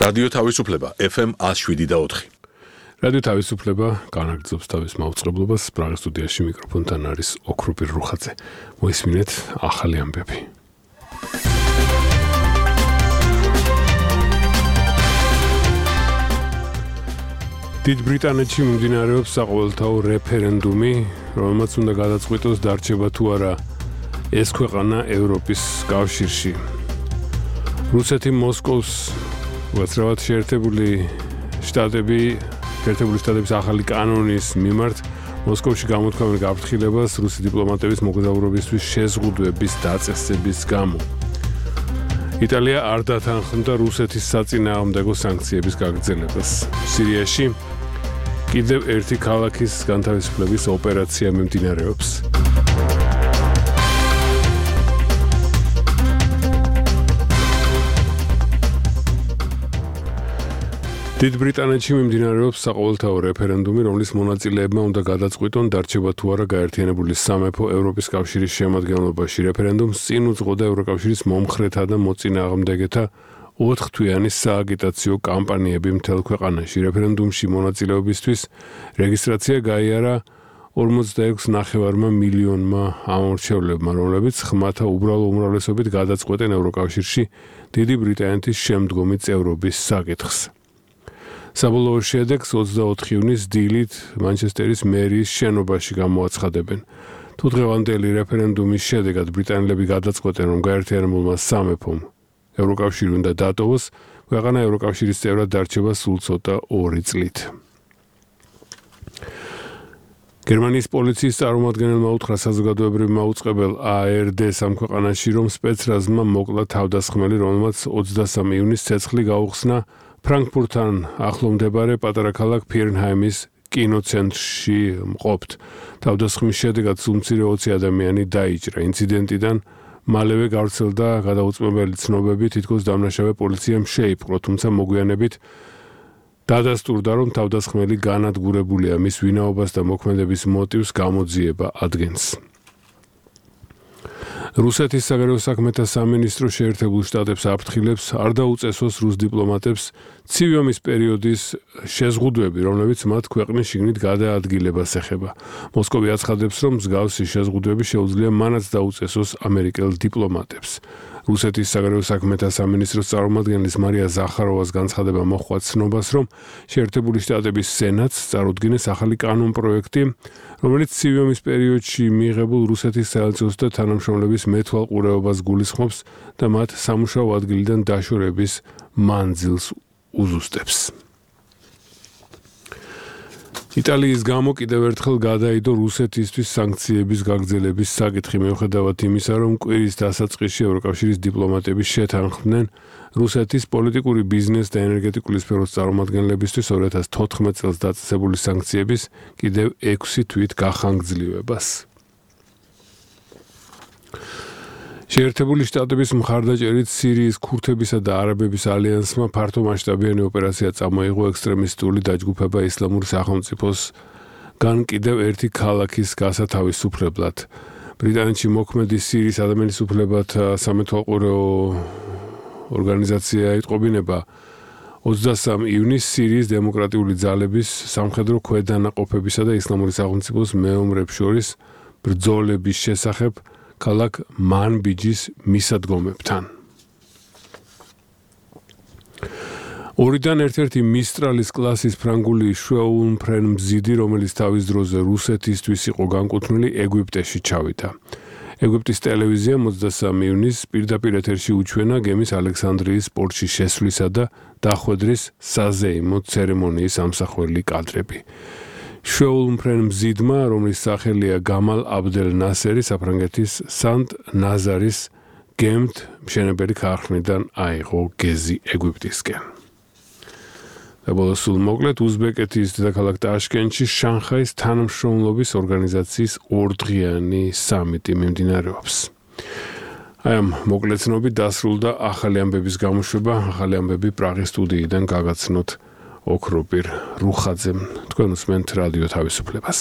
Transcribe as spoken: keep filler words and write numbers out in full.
რადიო თავისუფლება ეფ ემ one oh seven point four. რადიო თავისუფლება განაგრძობს თავის მაუწყებლობას. პრაღის სტუდიაში მიკროფონთან არის ოქროპირ რუხაძე. მოისმინეთ ახალი ამბები. დიდ ბრიტანეთში მიმდინარეობს საყოველთაო რეფერენდუმი, რომელმაც უნდა გადაწყვიტოს დარჩება თუ არა ეს ქვეყანა ევროპის კავშირში. რუსეთი მოსკოვს უაცრავად შეერთებული შტატები შეერთებული შტატების ახალი კანონის მიმართ მოსკოვში გამოთქვამენ გაფრთხილებას რუსი დიპლომატების მოგზაურობისთვის შეზღუდვების დაწესების გამო. იტალია არ დათანხმდა რუსეთის საწინააღმდეგო სანქციების გაგრძელებას. სირიაში კიდევ ერთი ქალაქის განთავისუფლების ოპერაცია მიმდინარეობს. დიდ ბრიტანეთში მიმდინარეობს საყოველთაო რეფერენდუმი, რომლის მონაწილეებმა უნდა გადაწყვიტონ დარჩება თუ არა გაერთიანებული სამეფო ევროპის კავშირის შემადგენლობაში. რეფერენდუმს წინ უძღოდა ევროკავშირის მომხრეთა და მოწინააღმდეგეთა ოთხთვიანი სააგიტაციო კამპანიები მთელ ქვეყანაში. რეფერენდუმში მონაწილეობისთვის რეგისტრაცია გაიარა ორმოცდაექვსი ნახევარმა მილიონმა ამორჩევლებმა, რომლებიც ხმათა უბრალო უმრავლესობით გადაწყვეტენ ევროკავშირში დიდი ბრიტანეთის შემდგომი წევრობის საკითხს. საბოლოო შედეგს ოცდაოთხი ივნის დილით მანჩესტერის მერიის შენობაში გამოაცხადებენ. თუ დღევანდელი რეფერენდუმის შედეგად ბრიტანელები გადაწყვეტენ, რომ გაერთიანებულმა სამეფომ ევროკავშირი უნდა დატოვოს, ქვეყანა ევროკავშირის წევრად დარჩება სულ ცოტა ორი წლით. გერმანიის პოლიციის წარმომადგენელმა უთხრა საზოგადოებრივმა მაუწყებელ A R D-ს ამ ქვეყანაში, რომ სპეცრაზმა მოკლა თავდასხმელი, რომელმაც ოცდასამი ივნის ცეცხლი გაუხსნა ფრანკფურტთან ახლო მდებარე პატარა ქალაქ ფირნჰაიმის კინოცენტრში მყოფთ. თავდასხმის შედეგად სულ ოცი ადამიანი დაიჭრა. ინციდენტიდან მალევე გავრცელდა გადაუწმებელი ცნობები, თითქოს დამნაშავე პოლიციამ შეიპყრო, თუმცა მოგვიანებით დადასტურდა, რომ თავდასხმელი განადგურებულია, მის ვინაობას და მოქმედების მოტივს გამოძიება ადგენს. რუსეთის საგარეო საქმეთა სამინისტრო შეერთებულ შტატებს აფრთხილებს არ დაუწესოს რუს დიპლომატებს ცივი ომის პერიოდის შეზღუდვები, რომლებიც მათ ქვეყნის შიგნით გადაადგილებას ეხება. მოსკოვი აცხადებს, რომ მსგავსი შეზღუდვები შეუძლია მანაც დაუწესოს ამერიკელ დიპლომატებს. რუსეთის საგარეო საქმეთა სამინისტროს წარმომადგენლის მარია ზახაროვას განცხადება მოჰყვა ცნობას, რომ შეერთებული შტატების სენატს წარუდგინეს ახალი კანონპროექტი, რომელიც ცივი ომის პერიოდში მიიღებულ რუსეთის საელჩოს და თანამშრომლების მეთვალყურეობას გულისხმობს და მათ სამუშაო ადგილიდან დაშორების მანძილს უზუსტებს. იტალიის გამო კიდევ ერთხელ გადაიდო რუსეთისთვის სანქციების გაგრძელების საკითხი, მიუხედავად იმისა, რომ კვირის დასაწყისში ევროკავშირის დიპლომატები შეთანხმდნენ რუსეთის პოლიტიკური ბიზნეს და ენერგეტიკული სფეროს წარმომადგენლებისთვის ორი ათას თოთხმეტ წელს დაწესებული სანქციების კიდევ ექვსი თვით გახანგრძლივებას. შეერთებული შტატების მხარდაჭერით სირიის ქურთებისა და არაბების ალიანსმა ფართომასშტაბიანი ოპერაცია წამოიღო ექსტრემისტული დაჯგუფება ისლამური სახელმწიფოსგან კიდევ ერთი ქალაქის გასათავისუფლებლად. ბრიტანეთში მოქმედი სირიის ადამიანის უფლებათა სამეთვალყურეო ორგანიზაცია იტყობინება ოცდასამი ივნის სირიის დემოკრატიული ძალების სამხედრო ქვედანაყოფებისა და ისლამური სახელმწიფოს მეომრებს შორის ბრძოლების შესახებ ქალაქ მანბიჯის მისადგომებთან. ორიდან ერთ-ერთი მისტრალის კლასის ფრანგული შვეულმფრენ მზიდი, რომელიც თავის დროზე რუსეთისთვის იყო განკუთვნილი, ეგვიპტეში ჩავიდა. ეგვიპტის ტელევიზიამ ოცდასამი ივნის პირდაპირ ეთერში უჩვენა გემის ალექსანდრიის პორტში შესვლისა და დახვედრის საზეიმო ცერემონიის ამსახველი კადრები. შვეულმფრენ მზიდმა, რომლის სახელია გამალ აბდელ ნასერი, საფრანგეთის სანტ ნაზარის გემთ მშენებელი ქარხნიდან აიღო გეზი ეგვიპტისკენ. და სულ მოკლედ უზბეკეთის დედაქალაქ ტაშკენტში შანხაის თანამშრომლობის ორგანიზაციის ორდღიანი სამიტი მიმდინარეობს. აი ამ მოკლეცნობით დასრულდა ახალი ამბების გამოშვება. ახალი ამბები პრაღის სტუდიიდან გაგაცნოთ ოქროპირ რუხაძემ. თქვენ უსმენთ რადიო თავისუფლებას.